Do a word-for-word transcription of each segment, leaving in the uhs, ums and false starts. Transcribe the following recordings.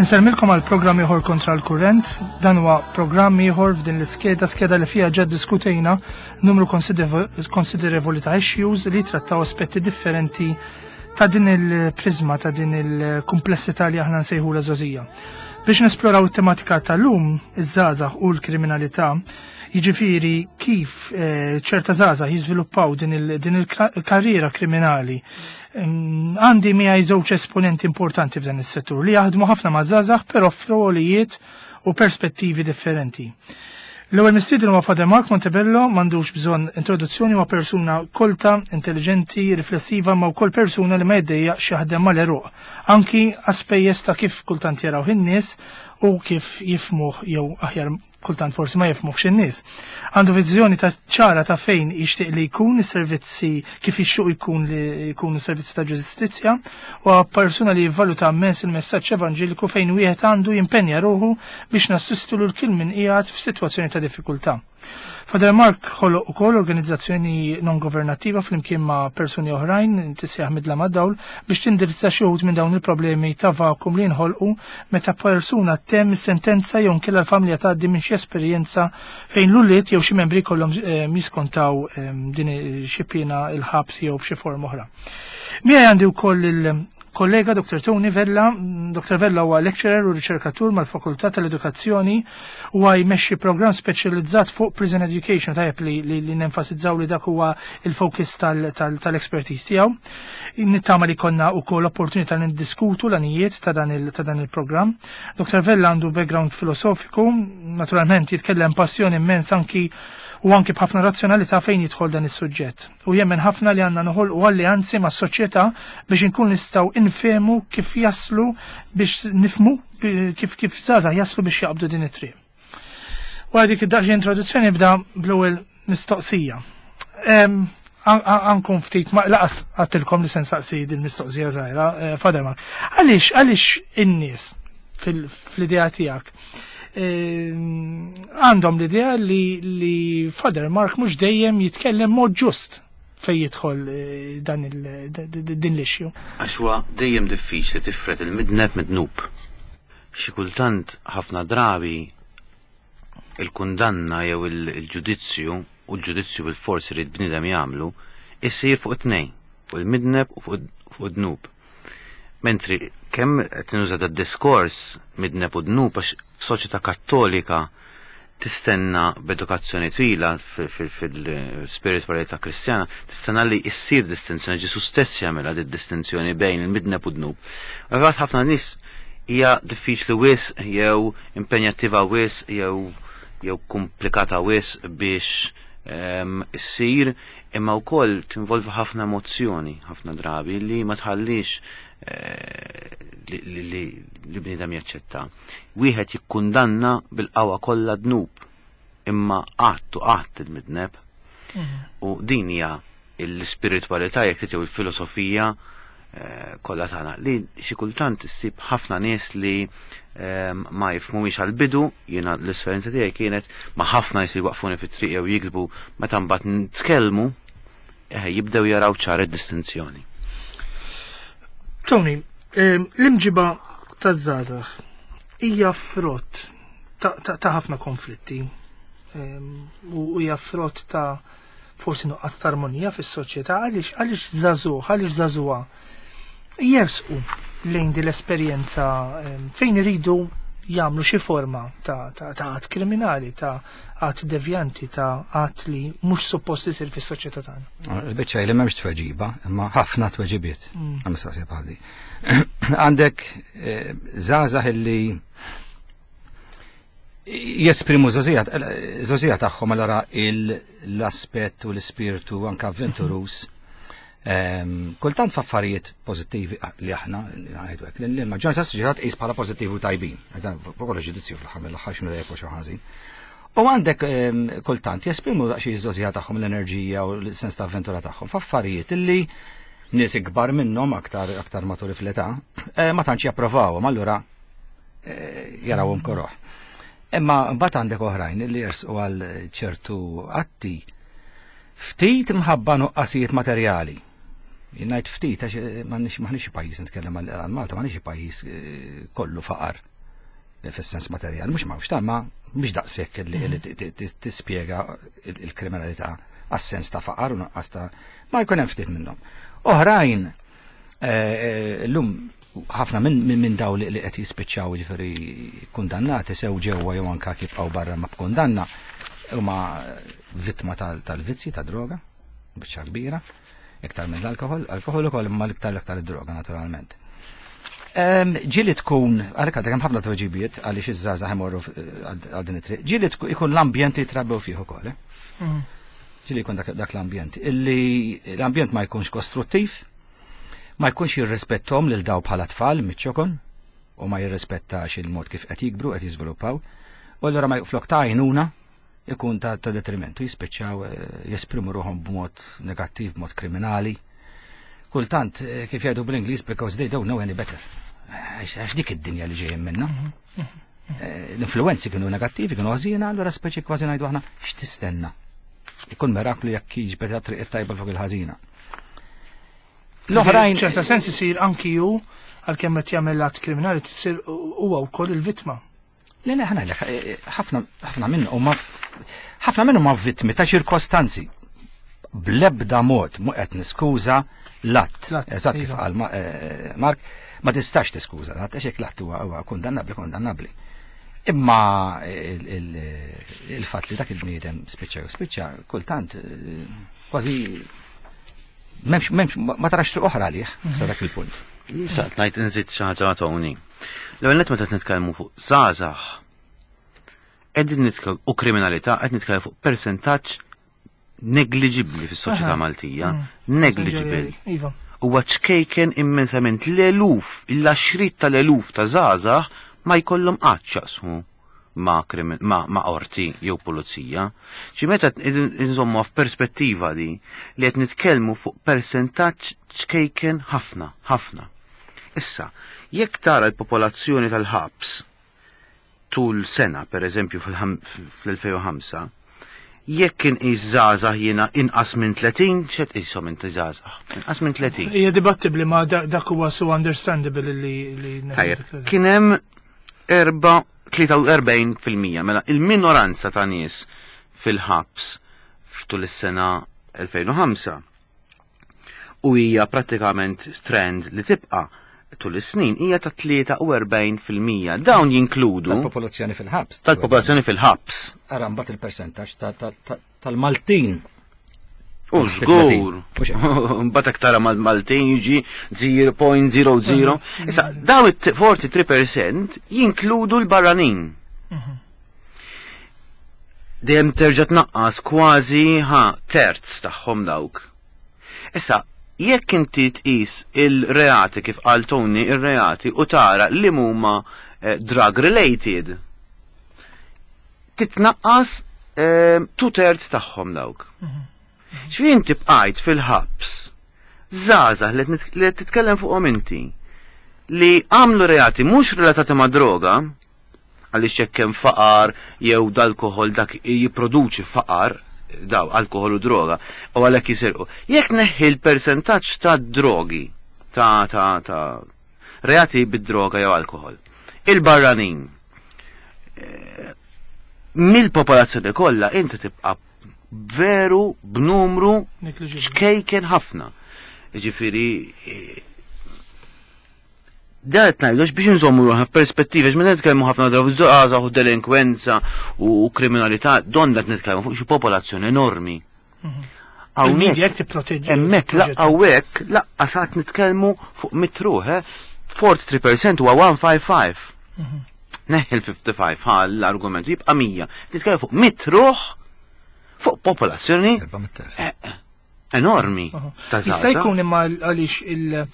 Insellmilkom għal programm ieħor Kontra l-Kurrent. Dan huwa programm ieħor f'din l-iskeda, skeda li fiha ġa diskutejna numru konsiderevoli ta' issues li trattaw aspetti differenti ta' din il-prizma, ta' din il-komplessità li aħna nsejħu l-żgħożija. Biex nesploraw it-tematika tal-lum, iż-żgħażagħ u l-kriminalità, jiġifieri kif eh, ċerta żgħażagħ jiżviluppaw din il-karriera kriminali, għandi miegħi żewġ esponenti importanti f'dan is-settur li jaħdmu ħafna ma' żgħażagħ, però f'rolijiet u perspettivi differenti. L-ewwel mistieden huwa Father Mark Montebello. M'għandux bżonn introduzzjoni, huwa persuna kolta, intelligenti, riflessiva, ma wkoll persuna li ma jiddejjaqx jaħdem mal-għeruq, anki għas-spejjeż ta' kif kultant jaraw in-nies u kif jifhmuh, jew aħjar kultant forsi ma jifhmuhx in-nies. Għandu viżjoni ta' ċara ta' fejn jixtieq li jkun is-servizzi, kif jixtieq jkun li jkunu servizzi ta' ġustizzja, u persuna li jivvaluta immens il-messaġġ evanġeliku fejn wieħed għandu jimpenja ruħu biex nassistu lil kull min qiegħed f'sitwazzjoni ta' diffikultà. Father Mark ħoloq ukoll organizzazzjoni non governattiva flimkien ma' persuni oħrajn tissejjaħ Midla mad-Dawl biex tindirizza xi wħud minn dawn il-problemi ta' vakum li jinħolqu meta persuna ttemm sentenza jew nkella l-familja tgħaddi minn xi esperjenza fejn l-ulied jew xi membri kollhom eh, jiskontaw eh, din xi piena il-ħabs jew f'xi forma oħra. Miegħi għandi wkoll il-kollega Doctor Tony Vella. Doctor Vella huwa lecturer u riċerkatur mal-Fakultà tal-Edukazzjoni u jmexxi program speċjalizzat fuq prison education. Tajjeb li, li, li nenfasizzaw li dak huwa il-focus tal-expertise tiegħu. Nittama li konna wkoll opportunità li niddiskutu l-għanijiet ta' dan il-programm. Doctor Vella għandu background filosofiku, naturalment jitkellem passjoni immens anki u anki b'ħafna razzjonalità fejn jidħol dan is-suġġett. U jemmen ħafna li għandna noħolqu alleanzi ma' soċjetà biex inkun nistgħu nifhmu kif jaslu, biex nifhmu kif kif żgħażagħ jaslu biex jaqbdu din it-triq. Wara dik id-daqsxejn introduzzjoni, bda bl-ewwel mistoqsija. Ankun ftit ma laqas għedtilkom li se nsaqsi din mistoqsija żgħira, eh, Father Mark. Għaliex għaliex in-nies fl-idea tiegħek għandhom l-idea li, li Father Mark mhux dejjem jitkellem mod ġust fej jidħol eh, dan din l-issue? Għax huwa dejjem diffiċli tifred il-midneb mid-dnub. Xi kultant, ħafna drabi, il-kundanna jew il-ġudizzju, u l-ġudizzju bil-forsi li bnidem jagħmlu, issir fuq it-tnejn, fuq il-midneb u fuq id-dnub. Mentri kemm qed nuża diskors midneb u dnub, għax f'soċjetà Kattolika tistenna, b'edukazzjoni twila fil-spiritualità Kristjana, tistenna li issir distinzjoni. Ġesu stess jagħmilha di distinzjoni bejn il-midneb u dnub. Għax ħafna nies hija diffiċli wisq jew impenjattiva wisq jew jew komplikata wisq biex ehm, issir, imma wkoll tinvolvi ħafna emozzjoni ħafna drabi li ma tħallix eh, li li bniedem jaċċetta. Wieħed jikkundanna bil-qawwa kollha dnub, imma qatt u qatt il-midneb. Mhm. U din hija l-spiritualità, jekk trid, il-filosofija eh, kollha tagħna li xi kultant issib ħafna nies li ehm, ma jifhmuhiex għal-bidu. Jiena l-esperjenza tiegħi kienet ma' ħafna nies li waqfuni fit-triq jew jiktbu, meta mbagħad nitkellmu eh, jibdew jaraw ċar id-distinzjoni. Tony, ehm, l-imġiba taż-żgħażagħ hija frott ta' ħafna konflitti ehm, u hija frott ta' forsi nuqqas ta' armonija fis-soċjetà. Għaliex għaliex żagħżugħ, għaliex żagħżugħa jersqu lejn din l-esperjenza ehm, fejn iridu jagħmlu xi forma ta' ta' ta' att kriminali, ta' att devjanti, ta' att li mhux suppost isir fis-soċjetà tagħna? Il-biċċa li m'hemmx tweġiba, imma ħafna tweġibiet mm. għal mistoqsija bħal di. Għandek eh, żgħażagħ illi jesprimu żgħożija tagħhom, allora l-aspett u l-ispirtu anka avventurus. Ehm, kultant f'affarijiet pożittivi li aħna ngħidu hekk, li l-maġġoranza tas-soċjetà tqis bħala pożittivi u tajbin. Fuq kollox ġudizzju fl-aħħar mill-aħħar x'inhu tajjeb u xi ħażin. U għandek ehm, kultant jesprimu daqsxejn iż-żgħożija tagħhom, l-enerġija u l-sens ta' avventura tagħhom f'affarijiet illi nies ikbar minnhom, aktar aktar maturi fl-età, eh, ma tantx japprovawhom, allura eh, jarawhom koroh. Imma mbagħad għandek oħrajn li jersqu għal ċertu atti ftit mħabba nuqqasijiet materjali. Ngħid ftit għax eh, m'aħniex pajjiż, nitkellem għal Malta, m'aħniex pajjiż kollu faqar. Fis-sens materjali, mhux m'hawnx ta' ma mhux daqshekk li tispjega il-kriminalità għas-sens ta' faqar u nuqqas ta' ma jkun hemm ftit minnhom. Oħrajn llum ħafna minn min daw li qed jispiċċaw, ġifieri kundannati sew ġewwa jew anke jibqgħu barra ma b'kundanna, huma vittma tal-vizzi ta' droga, biċċa kbira, iktar minn l-alkohol, alkohol ukoll, imma l-iktar l-iktar id-droga naturalment. Ġieli tkun, għalhekk għadek hemm ħafna tweġibiet għaliex iż-żgħażagħ imorru għal din it-triq, ġieli ikun l-ambjent li jitrabbew fih ukoll. Eh? Mm. Ġieli jkun dak l-ambjent. Illi l-ambjent ma jkunx kostruttiv, ma jkunx jirrispettom lil daw bħala tfal miċ-ċokon u ma jirrispettax il-mod kif qed jikbru, qed jiżviluppaw. U allura ma flok ta' għajnuna ikun ta' ta' detrimentu, jispiċċaw eh, jesprimu ruħhom b'mod negattiv, b'mod kriminali. Kultant, eh, kif jgħidu bl-Ingliż, because they don't know any better. Għax dik id-dinja li ġejjin minna. Mhm, mhm, eh, L-influenzi kienu negattivi, kienu ħażina, allura speċi kważi ngħidu aħna x'tistenna. Ikun miraklu jekk jiġbed triq it-tajba fuq il-ħażina. L-oħrajn. ċerta sens isir anki ju għalkemm qed jagħmel att kriminali tisir huwa wkoll il-vittma. Le, le, ħana, ħafna ħafna minn huma ħafna minnhom huma vittmi ta' ċirkostanzi. Blebda mod mu qed niskuża l-att. Eżatt kif iva. qal eh, Mark, ma tistax tiskuża l-att, għax hekk l-att huwa kundannabbli kundannabbli. Imma il-fatt li dak il-bniedem spiċċa spiċċa kultant eh, kważi m'hemmx m'hemmx ma tarax triq oħra għalih sa dak il-punt. Sa ngħid nżid xi ħaġa, Tony. L-ewwel nett, meta nitkellmu fuq żgħażagħ qegħdin nitkellmu u kriminalità, qed nitkellmu fuq persentaġġ negliġibbli fis-soċjetà Maltija, mm. Negliġibbli. Iva. Huwa ċkejken immensament. L-eluf, l-għaxriet tal-eluf ta' żgħażagħ ma jkollhom qatt x'jaqsmu ma' ma, ma qorti jew pulizija. Ċi meta nżommu f'perspettiva di li qed nitkellmu fuq persentaġġ ċkejken ħafna, ħafna. Issa, jekk tara l-popolazzjoni tal-ħabs tul sena, per eżempju fl-elfejn u ħamsa, jekk inqis żgħażagħ jiena inqas minn tletin, x'qed qishom inti żgħażagħ? Inqas minn tletin. Hija dibattibbli, ma dak huwa so understandable li li Tajjeb, kien hemm erba' tlieta u erbgħin fil-mija, mela il-minoranza ta' nies fil-ħabs f'tul is-sena elfejn u ħamsa u hija prattikament trend li tibqa' tul is-snin hija ta' tlieta u erbgħin fil-mija. Dawn jinkludu tal-popolazzjoni fil-ħabs. Tal-popolazzjoni fil-ħabs. Ara mbagħad il-persentaġġ tal-Maltin. U żgur. Mbagħad aktar mal-Maltin jiġi zero punt zero zero. Issa daw it-tlieta u erbgħin fil-mija jinkludu l-barranin. Dejjem terġa' tnaqqas kważi ħa terz tagħhom dawk. Issa, jekk inti tqis il-reati, kif qal Tony, il-reati u tara li huma eh, drug related, titnaqqas eh, two thirds tagħhom dawk. Ġifieri inti bqajt fil-ħabs żgħażagħ li qed titkellem fuqhom inti li għamlu reati mhux relatati ma' droga, għaliex jekk hemm faqar jew dal-alkohol, dak jipproduċi faqar, daw alkohol u droga, u għalhekk jisirqu. Jekk neħħi l-persentaġġ ta' drogi, ta' ta' ta' reati bid-droga jew alkohol, il-barranin, eh, mill-popolazzjoni kollha inti tibqa' veru b'numru ċkejken ħafna. Ġifieri, eh, da qed ngħidux biex nżommu ruħna f'perspettiva, għax meta nitkellmu ħafna drabi żgħażagħ u delinkwenza u kriminalità, don qed nitkellmu fuq xi popolazzjoni enormi. Mhm. Il-media jekk tipproteġġi. Hemmhekk hawnhekk lanqas qed nitkellmu fuq mitt ruħ, eh? tlieta u erbgħin fil-mija huwa mija u ħamsa u ħamsin. Mhm. Neħħi l-ħamsa u ħamsin ħal l-argument jibqa' mija. Titkellem fuq mitt ruħ fuq popolazzjoni eh, eh, enormi ta' Jista' żgħażagħ. jkun imma għaliex il-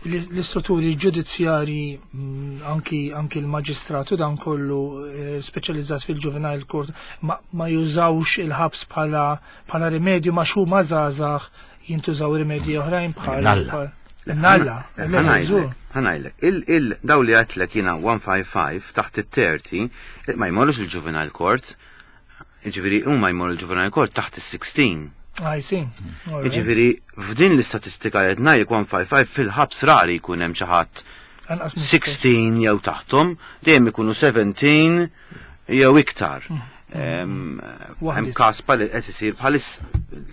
l-istrutturi ġudizzjari, mm, anki anki l-maġistratu dan kollu eh, speċjalizzat fil-juvenile court ma, ma jużawx il-ħabs bħala bħala rimedju ma xu ma żgħażagħ jintużaw rimedji oħrajn bħal Nalla. Nalla. Ħa ngħidlek, ħa ngħidlek. Il, il, daw li għedtlek jiena mija u ħamsa u ħamsin taħt it-tletin ma jmorrux il-juvenile court, ġifieri huma jmorru il-juvenile court taħt il-sittax. I see. All right. Ġifieri, f'din l-istatistika li qed ngħidlek mija u ħamsa u ħamsin, fil-ħabs rari jkun hemm xi ħadd Anqas minn sittax jew taħthom, dejjem ikunu sbatax jew iktar. Hemm Waħdiet. każ bħal qed isir bħalissa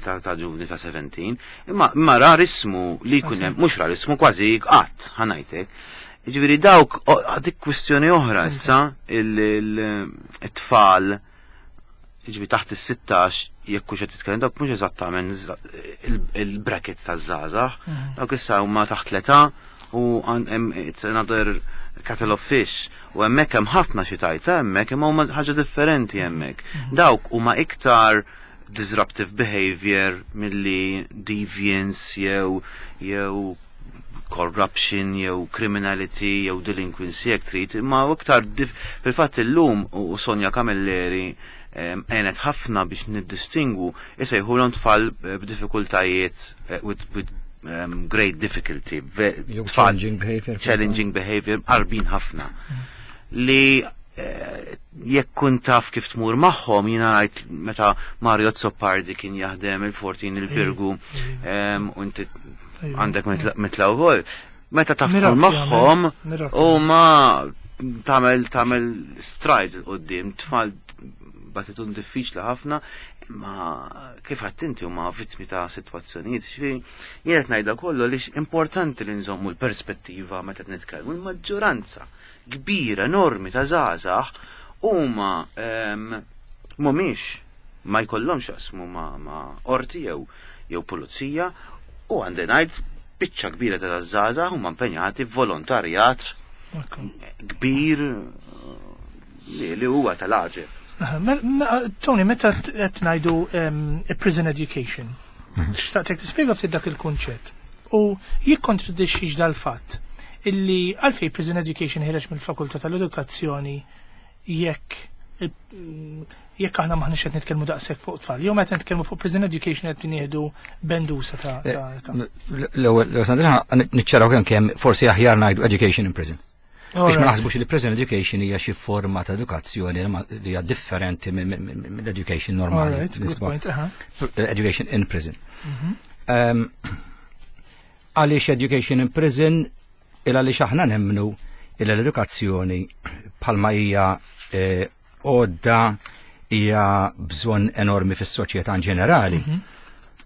ta' ta' ġuvni ta' sbatax, imma imma rarismu li jkun hemm, mhux rarismu, kważi qatt, ħa ngħidlek. Ġifieri dawk o- dik kwistjoni oħra issa, il-tfal ġifieri taħt is-sittax, jekk hux qed titkellem dawk mhux eżattament il-bracket taż-żgħażagħ, dawk issa huma taħt l-età u għan- hemm- it's another kettle of fish u hemmhekk hemm ħafna xi tajta hemmhekk, imma huma ħaġa differenti hemmhekk. Dawk huma iktar disruptive behavior milli deviance jew jew corruption jew criminality jew delinquency jekk trid, imma iktar dif- fil-fatt illum u u Sonja Camilleri em, għenet ħafna biex niddistingwu, isejħulhom tfal eh, b'diffikultajiet, eh, with, with um, great difficulty, ve- Jew tfal challenging behavior. Challenging behavior, qarbin ħafna li eh, jekk kun taf kif tmur magħhom. Jiena ngħid meta Mario Azzopardi kien jaħdem il-Fortin il-Birgu em, u inti għandek mitla- mitla wkoll. Meta taf tmur Mirakli magħhom għamel, mirakli. u ma tagħmel tagħmel strides 'il quddiem, tfal batitun diffiċli ħafna, imma kif għedt inti huma vittmi ta' sitwazzjonijiet. Ġifieri jien qed ngħidha kollu għaliex importanti li nżommu l-perspettiva meta qed nitkellmu. Il-maġġoranza kbira enormi ta' żgħażagħ huma em, mhumiex, ma jkollhomx jaqsmu ma' ma' qorti jew jew pulizija u għandi ngħid biċċa kbira ta' żgħażagħ huma impenjati f'volontarjat Ekku. kbir eh, li li huwa tal-għaġeb. Aha, me- me- Tony, meta qed ngħidu em, prison education, xtaqtek tispjega ftit dak il-kunċett u jikkontradixxix dal-fatt illi għalfej prison education ħireġ mill-Fakultà tal-Edukazzjoni jekk il- jekk aħna maħniex qed nitkellmu daqshekk fuq tfal? Jew meta nitkellmu fuq prison education qed nieħdu bendusa ta' ta' ta' L-ewwel, Sandrina, niċċaraw kemm kemm forsi aħjar ngħidu education in prison. Biex ma naħsbux li prison education hija xi forma ta' edukazzjoni li ma- li hija differenti mill-education normali. Alright, good point. Aha. Education in prison. Um, Għaliex education in prison? Il għaliex aħna nemmnu il l-edukazzjoni bħalma hija eh, għodda hija bżonn enormi fis-soċjetà in ġenerali.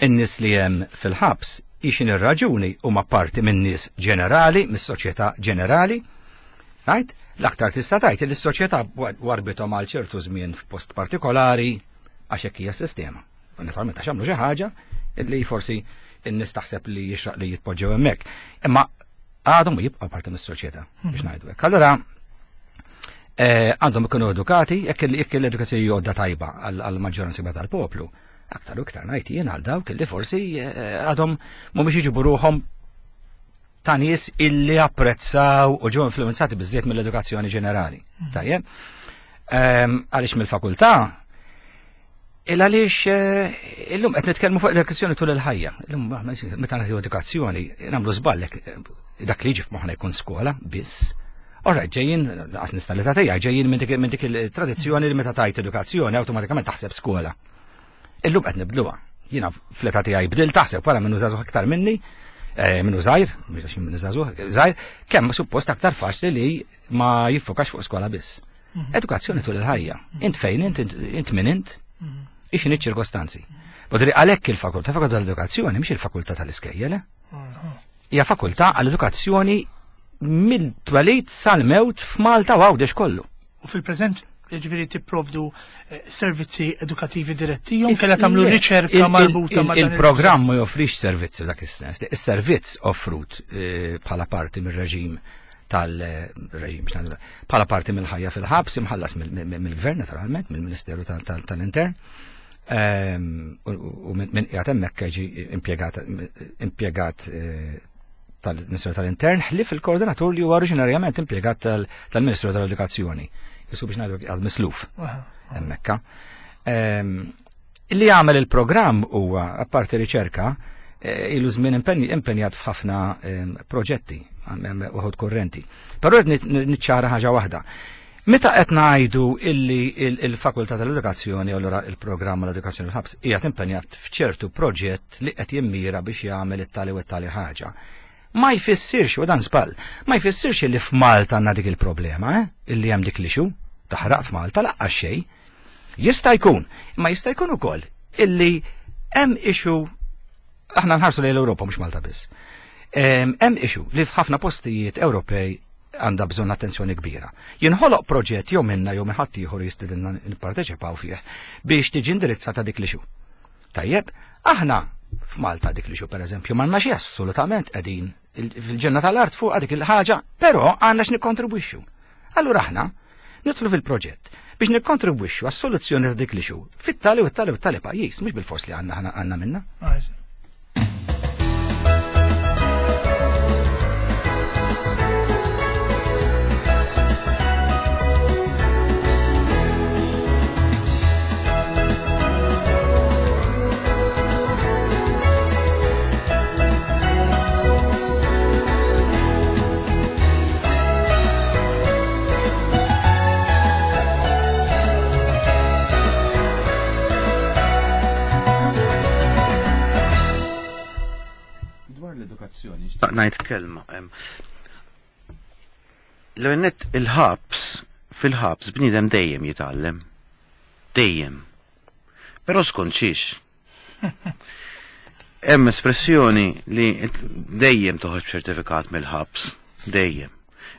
In-nies li hemm fil-ħabs ixin ir-raġuni huma parti minn nies ġenerali, mis-soċjetà ġenerali. Right? L-aktar tista' tgħid li s-soċjetà warbithom għal ċertu żmien f'post partikolari għax hekk hija s-sistema. U naturalment għax għamlu xi ħaġa li forsi n-nies taħseb li jixraq li jitpoġġew hemmhekk. Imma għadhom jibqgħu parti mis-soċjetà, biex ngħidu hekk. Allura eh, għandhom ikunu edukati, jekk il- jekk l-edukazzjoni għodda tajba għall-maġġoranza kbira tal-poplu, aktar u iktar ngħid jien għal dawk li forsi eh, għadhom mhumiex iġibu ruħhom ta' nies illi apprezzaw u ġew influenzati biżżejjed mill-edukazzjoni ġenerali. Tajjeb? Ehm, Għaliex mill-fakultà? Il għaliex eh, illum qed nitkellmu fuq l-edukazzjoni tul il-ħajja. Illum aħna meta nagħtu edukazzjoni nagħmlu żballek, dak li jiġi f'moħħna jkun skola biss. Alright, ġejjin, għas nista' li tagħtija, ġejjin minn dik minn dik il-tradizzjoni li meta tajt edukazzjoni awtomatikament taħseb skola. Illum qed nibdluha. Jiena fl-età tiegħi bdil taħseb wara minnu żagħżugħ aktar minni, eh, minnu żgħir, mhux minnu żagħżugħ, żgħir, kemm suppost aktar faċli li ma jiffokax fuq skola biss. Edukazzjoni tul il-ħajja. Int fejn int, int, int min int, ixin iċ-ċirkostanzi. Bodri għalhekk il-fakultà, fakultà tal-edukazzjoni, mhix il-fakultà tal-iskejjel, eh? Hija fakultà għall-edukazzjoni mill-twelid sal-mewt f'Malta u Għawdex kollu. U fil-preżent ġifieri tipprovdu eh, servizzi edukattivi diretti jew kella tagħmlu riċerka Il- il- marbuta il- ma' dan? Il-programm ma joffrix servizzi f'dak is-sens. Is-servizz offrut eh, bħala parti mir-reġim tal-reġim, x'ngħidu, bħala parti mill-ħajja fil-ħabs, imħallas mill- mill- mill-gvern naturalment, mill-Ministeru tal- tal- tal-Intern. Ehm, U u minn min qiegħed hemmhekk ġi impjegat impjegat eh, tal-Ministeru tal-Intern, ħlief il-koordinatur li huwa oriġinarjament impjegat tal- tal-Ministeru tal-Edukazzjoni. Jisu biex ngħidu għal misluf Aha. hemmhekk. Ehm, Li għamel il-programm huwa, apparti riċerka, eh, ilu żmien impenj- impenjat f'ħafna ehm, proġetti hemm uħud kurrenti. Però rrid nit- niċċara ħaġa waħda. Meta qed ngħidu illi il- il-Fakultà tal-Edukazzjoni, allura il-programm l-Edukazzjoni fil-ħabs qiegħed impenjat f'ċertu proġett li qed jimmira biex jagħmel it-tali u t-tali ħaġa. Ma jfissirx, u dan żball, ma jfissirx li f'Malta għandna dik il-problema, eh? Illi hemm dik l-issue, taħraq f'Malta lanqas xejn. Jista' jkun, imma jista' jkun ukoll illi hemm issue, aħna nħarsu lejn l-Ewropa mhux Malta biss. Hemm issue li f'ħafna postijiet Ewropej għandha bżonn attenzjoni kbira. Jinħoloq proġett jew minna jew minn ħadd ieħor jistidilna nipparteċipaw fih biex tiġi indirizzata dik l-issue. Tajjeb, aħna f'Malta dik l-issue pereżempju m'għandna xi assolutament, qegħdin fil-ġenna tal-art fuq dik il-ħaġa, però għandna x'nikkontribwixxu. Allura aħna nidħlu fil-proġett biex nikkontribwixxu għas-soluzzjoni ta' dik l-issue fit-tali u t-tali u t-tali pajjiż, mhux bil-fors li għandna għandna minna. Ngħid kelma. L-għennet il-ħabs, fil-ħabs bniedem dejjem jitgħallem. Dejjem. Però skont xiex. Hemm espressjoni li dejjem toħroġ ċertifikat mill-ħabs. Dejjem.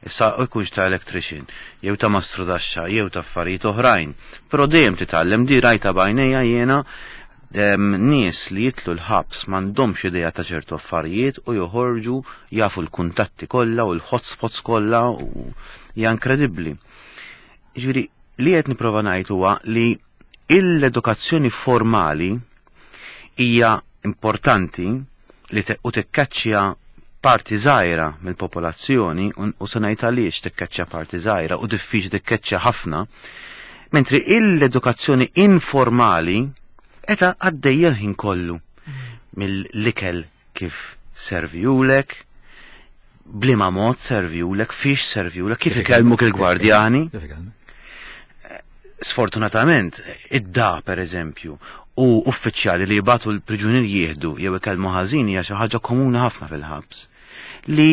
Issa jkunx ta' electrician, jew ta' mastrudaxxa, jew ta' affarijiet oħrajn. Però dejjem titgħallem, di rajta b'għajnejja jiena nies li jitlu l-ħabs m'għandhomx idea ta' ċertu affarijiet u joħorġu jafu l-kuntatti kollha u l-hotspots kollha u hija inkredibbli. Ġifieri li qed nipprova ngħid huwa li l-edukazzjoni formali hija importanti li u tikkaċċja parti żgħira mill-popolazzjoni u se ngħid għaliex tikkaċċja parti żgħira u diffiċli tikkaċċja ħafna, mentri l-edukazzjoni informali eta għaddejja l-ħin kollu mill-ikel kif serviwlek, bliema mod serviwlek, fiex serviwlek, kif ikellmuk il-gwardjani. Sfortunatament, id-da per eżempju, u uffiċjali li jibatu l-priġunier jieħdu jew ikellmu ħażin hija xi ħaġa komuni ħafna fil-ħabs. Li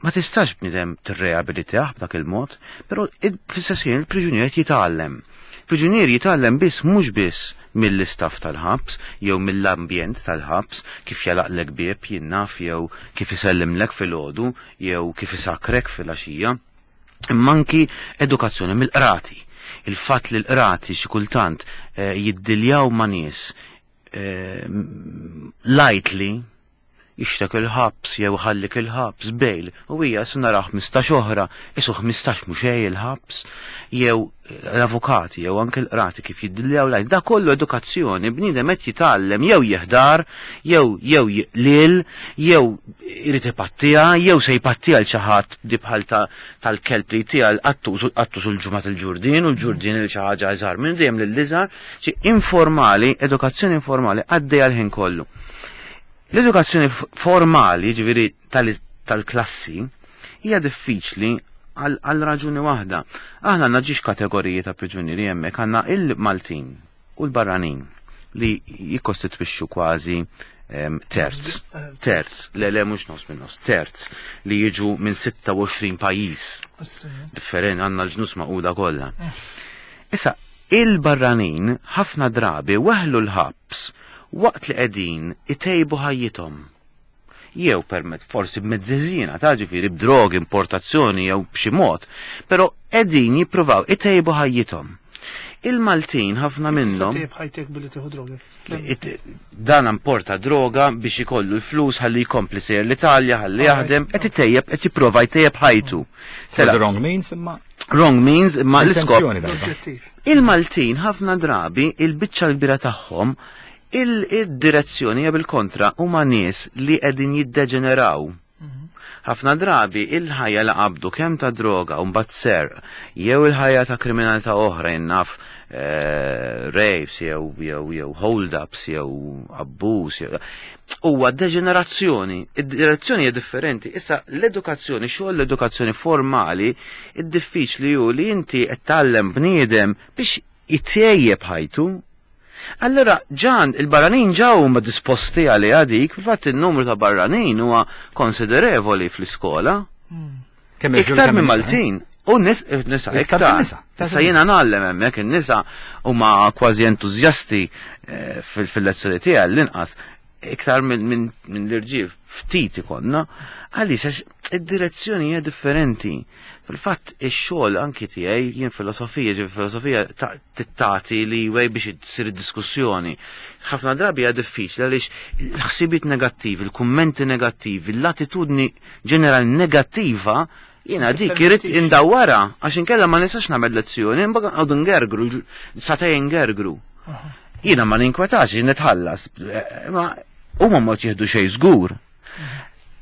ma tistax bniedem tirreabilitah b'dak il-mod, però fl-istess ħin il-priġunier qed jitgħallem. Priġunier jitgħallem biss mhux biss mill-istaff tal-ħabs jew mill-ambjent tal-ħabs, kif jalaqlek bieb jinnaf jew kif isellimlek filgħodu jew kif isakrek filgħaxija, imma anki edukazzjoni mill-qrati. Il-fatt li l-qrati xi kultant eh, jiddiljaw ma' nies eh, lightly, jixtek il-ħabs jew ħallik il-ħabs bejl, u hija se nara ħmistax oħra, isu ħmistax mhux xejn il-ħabs, jew l-avukati jew anke l-qrati kif jiddiljaw lajn. Da kollu edukazzjoni, bniedem qed jitgħallem jew jeħdar, jew jew lil, jew irid ipattija, jew se jpattija l xi ħadd di bħal tal-kelb li jtiha l-qattus u l-qattus u l-ġimgħa il-ġurdin u l-ġurdin il xi ħaġa iżgħar minn dejjem lill-iżgħar. Xi informali, edukazzjoni informali għaddejja l-ħin kollu. L-edukazzjoni formali, ġifieri tal-klassi, hija diffiċli għal raġuni waħda. Aħna għandna ġiex kategoriji ta' priġunieri hemmhekk, għandna il-Maltin u l-barranin li jikkostitwixxu kważi terz, terz, le le mhux nofs minn nofs, terz li jiġu minn sitta u għoxrin pajjiż differenti, għandna l-ġnus maquda kollha. Issa, il-barranin ħafna drabi weħlu l-ħabs waqt li qegħdin itejbu ħajjithom. Jew permezz forsi b'mezzeżina, ta' ġifieri b'drogi, importazzjoni jew b'xi mod, però qegħdin jippruvaw itejbu ħajjithom. Il-Maltin ħafna minnhom tejb ħajtek billi tieħu droga. Dan importa droga biex ikollu l-flus ħalli jkompli sejjer l-Italja, ħalli jaħdem, qed itejjeb, qed jipprova jtejjeb ħajtu. The wrong means imma wrong means imma l-iskop. L-oġġettiv. Il-Maltin ħafna drabi il-biċċa l-kbira tagħhom il-direzzjoni hija bil-kontra, huma nies li qegħdin jiddeġeneraw. Ħafna drabi il-ħajja li qabdu kemm ta' droga u mbagħad serq, jew il-ħajja ta' kriminalità oħra jinnaf eh, rapes jew jew jew hold-ups jew abbuż jew huwa deġenerazzjoni. Id-direzzjoni hija differenti. Issa l-edukazzjoni, xogħol l-edukazzjoni formali, id-diffiċli hu li inti qed tgħallem bniedem biex itejjeb ħajtu. Allora, ġan, il-barranin ġaw huma disposti għal dik, fil-fatt il-numru ta' barranin huwa konsiderevoli fl-iskola. Kemm irġiel, Iktar kemm minn nisa, eh? Maltin. U nis, nisa Iktar iktar. minn nisa. Issa jiena ngħallem hemmhekk in-nisa huma kważi entużjasti eh, fil- fil-lezzjoni tiegħi l-inqas iktar minn min, min l-irġiel ftit ikonna, għaliex għax id-direzzjoni hija differenti. Fil-fatt ix-xogħol anki tiegħi jien filosofija, ġifieri filosofija ta- tittati li wej biex issir diskussjoni. Ħafna drabi hija diffiċli għaliex il-ħsibiet negattivi, il-kummenti negattivi, l-attitudni ġenerali negattiva jiena dik irrid indawwara għax inkella ma nistax nagħmel lezzjoni, imbagħad qogħdu ngergru, sagħtejn ngergru. Jiena ma ninkwetax, jien nitħallas, eh, ma huma ma jieħdu xejn żgur.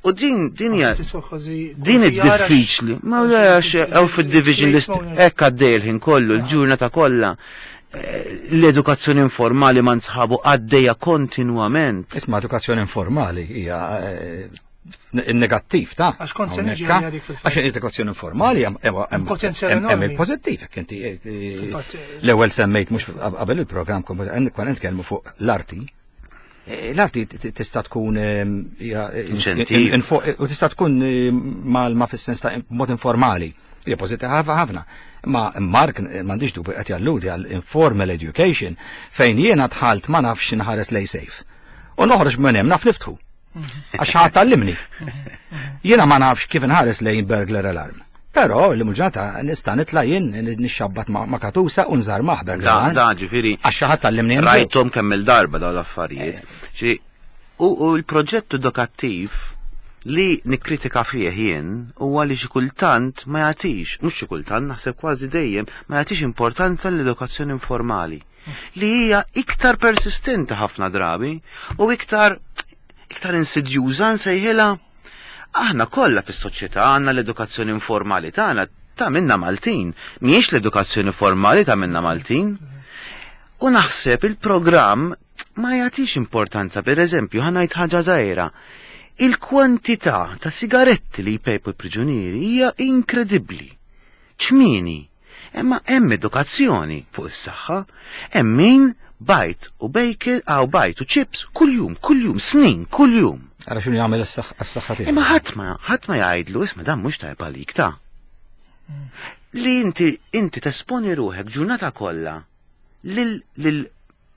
U din din hija Tiswa kważi- din kważi jara id-diffiċli. Ma għax hawn fid-division list hekk għaddej il-ħin kollu, l-ġurnata kollha. Eh, L-edukazzjoni informali ma nsħabu għaddejja kontinwament. Isma' edukazzjoni informali hija eh, il-negattiv ta' Għax kont se niġi hawnhekk, għalija dik fil-fatt. Għax l-edukazzjoni informali hemm- hemm- hemm Potenzjal hemm- hemm enormi. il-pożittiv, jekk inti eh, eh, Fil-fatt, eh, l-ewwel semmejt mhux qabel il-programm kont nitkellmu fuq l-arti. Eh, L-arti t- tista' tkun eh, hija, eh, Inċentiv. info- u tista' tkun eh, mal ma fis-sens ta' mod informali. Hija pożittiva ħafna. Ma Mark eh, m'għandix dubju qed jalludi għal informal education fejn jiena dħalt ma nafx nħares lej safe. U noħroġ minn hemm naf niftħu. Għax ħadd tgħallimni. Jiena ma nafx kif inħares lejn burglar alarm. Però l-muġata nista' nitla' jien nixxabbat ma' ma' katusa u nżarmah burglar Da, alarm. da ġifieri Għax xi ħadd tgħallimni hemm. rajthom kemm il-darba dawn l-affarijiet. Ġi, U u l-proġett edukattiv li nikkritika fih jien huwa li xi kultant ma jagħtix, mhux xi kultant, naħseb kważi dejjem, ma jagħtix importanza l-edukazzjoni informali li hija iktar persistenti ħafna drabi u iktar iktar insidjuża nsejħilha. Aħna kollha fis-soċjetà għandna l-edukazzjoni informali tagħna ta' minna Maltin, mhijiex l-edukazzjoni formali ta' minna Maltin. U naħseb il-programm ma jagħtix importanza, per eżempju, ħa ngħid ħaġa żgħira. Il-kwantità ta' sigaretti li jpejpu l-priġunieri hija inkredibbli. ċmieni. Imma hemm edukazzjoni fuq is-saħħa, hemm min bajd u bacon aw bajd u chips kuljum, kuljum, snin, kuljum. Ara x'inhu jagħmel għas-saħħa tiegħu. Imma ħadd ma ħadd ma jgħidlu isma' dan mhux tajb għalik ta' li inti inti tesponi ruħek ġurnata kollha lil lil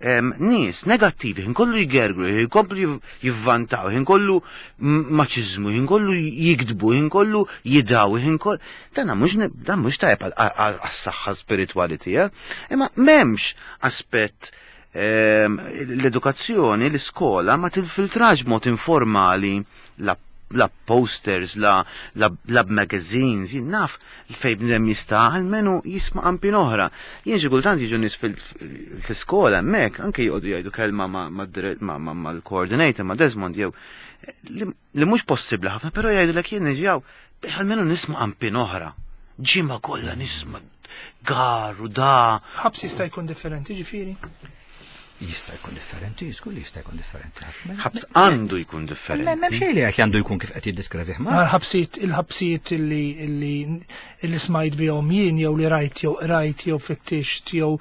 em, nies negattivi, ħin kollu jgergru, ħin kollu jiv- jivvantaw, ħin kollu m- maċiżmu, ħin kollu jikdbu, ħin kollu jidaw, ħin kollu. Dan mhux ne- dan mhux tajb għal- għal- għas-saħħa spiritwali tiegħek, imma m'hemmx aspett em, l-edukazzjoni, l-iskola ma tilfiltrax b'mod informali la la posters, la, la, la magazines, jien naf fej bnedem jista' almenu jisma' qampin oħra. Jien xi kultant jiġu nies fil- fil-iskola hemmhekk, anke jqogħdu jgħidu kelma ma' ma' dire- ma' ma' mal-coordinator, ma' Desmond jew li, li mhux possibbli ħafna, però jgħidulek jien niġi almenu nisma' qampin oħra. Ġimgħa kollha nisma' gar u da. Ħabs jista' jkun differenti, ġifieri. Jista' jkun differenti, żgur li jista' jkun differenti. Ħabs għandu jkun M'hemm differenti. xejn li qed għandu jkun kif qed jiddeskrivih ma. Il-ħabsijiet il-ħabsijiet illi illi illi smajt bihom jien jew li rajt jew rajt jew fittixt jew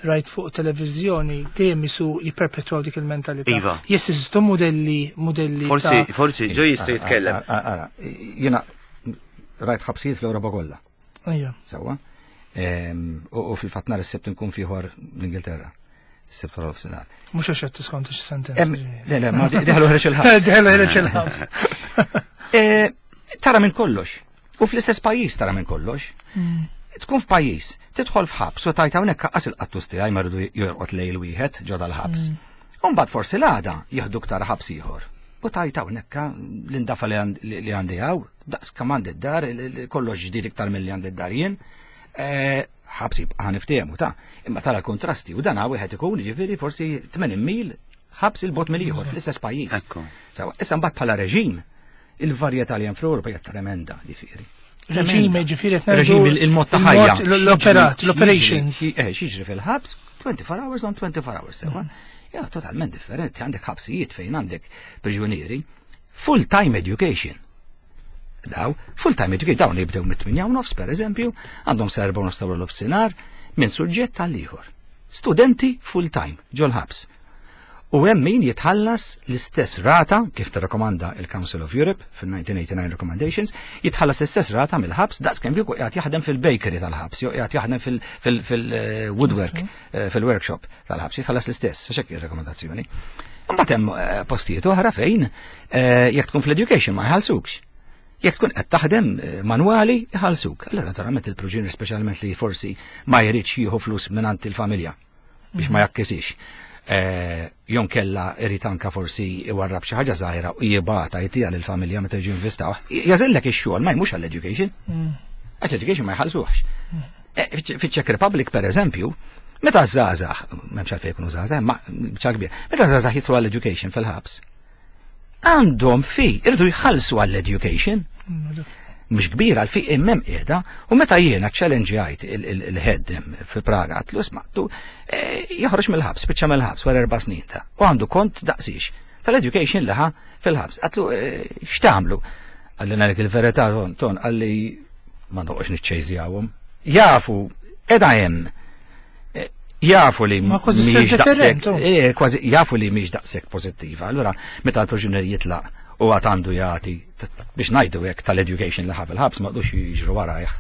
rajt fuq televiżjoni dejjem isu jipperpetwaw dik il-mentalità. Iva. Jesistu modelli modelli Forsi, ta' forsi ġo jista' jitkellem. Ara, jiena rajt ħabsijiet fl-Ewropa kollha. Ejja. Sewwa. Ehm, U u fil-fatt nhar is-Sibt nkun fieħor l-Ingilterra. Is-Sibt wara nofsinhar. Mhux għax qed tiskonta xi sentenza. Em, Le, le, ma diħlu ħreġ il-ħabs. Diħlu ħreġ il-ħabs. Eh, Tara minn kollox. U fl-istess pajjiż tara minn kollox. Tkun f'pajjiż, tidħol f'ħabs u tajt hawnhekk qas il-qattus tiegħi ma rridu jorqod lejl wieħed ġo dal-ħabs. U mbagħad forsi l-għada jieħduk tara ħabs ieħor. U tajt hawnhekk l-indafa li għand- li għandi hawn, daqs kemm għandi d-dar, kollox ġdid iktar milli għandi d-dar jien. Eh, ħabs jibqa' niftehmu ta' imma tara kontrasti u dan wieħed ikun ġifieri forsi tmenin mil ħabs il-bogħod mill-ieħor fl-istess pajjiż. Ekku. Sewwa, issa mbagħad bħala reġim, il-varjetà li hemm fl-Ewropa hija tremenda, ġifieri. Reġim, ġifieri qed ngħidu Reġim il- il-mod ta' ħajja. il-mod, L-operat, X'jiġri- l-operations. xi- Eh, x'jiġri fil-ħabs, twenty-four hours on twenty-four hours, sewwa. Ja, totalment differenti, għandek ħabsijiet fejn għandek priġunieri, full-time education. Daw, full-time education, dawn jibdew mit-tmienja u nofs, per eżempju, għandhom sa erbgħa u nofs ta' nofsinhar, minn suġġett tal-ieħor. Studenti full-time ġol-ħabs. U hemm min jitħallas l-istess rata, kif tirrakkomanda il-Council of Europe fil-nineteen eighty-nine Recommendations, jitħallas l-istess rata mill-ħabs daqs kemm kieku qiegħed jaħdem fil-bakery tal-ħabs, jew qiegħed jaħdem fil-woodwork, eh, fil-workshop tal-ħabs, jitħallas l-istess, għax hekk ir-rakkomandazzjoni. Imbagħad hemm eh, postijiet oħra fejn eh, jekk tkun fl-education ma jħallsukx. Jekk tkun qed taħdem manwali jħallsuk. Allora naturalment il-proġenier, speċjalment li forsi ma jridx jieħu flus mingħand il-familja biex ma jakkisix. Jew inkella irid anka forsi iwarrab xi ħaġa żgħira u jibgħatha jtiha lill-familja meta jiġu investaw. Jagħżillek ix-xogħol, ma jmurx għall-education. Għax l-education ma jħallsuhx. Fiċ-Czech Republic, per eżempju, meta żgħażagħ, m'hemmx għalfejn jkunu żgħażagħ, ma biċċa kbir, meta żgħażagħ jidħlu għall-education fil-ħabs, għandhom fee, irridu jħallsu għall-education. Mhux kbira għal fee immem qiegħda, u meta jiena challenge il-head fi Praga, għedtlu, "Isma', tu joħroġ mill-ħabs, spiċċa mill-ħabs wara erba' snin ta' u għandu kont daqsix tal-education liħa fil-ħabs." Għedtlu, "X'tagħmlu?" Qalli, "Ngħidlek il-verità, ton, ton," qalli, "ma noqgħodx niċċejżjawhom. Jafu, qiegħda hemm. Jafu li Ma kważi mhijiex deterrent, daqshekk, eh, kważi jafu li mhijiex daqshekk pożittiva. Allura meta l-priġunier jitlaq u għad għandu jagħti biex ngħidu hekk tal-education li ħa fil-ħabs, ma qdux jiġru warajh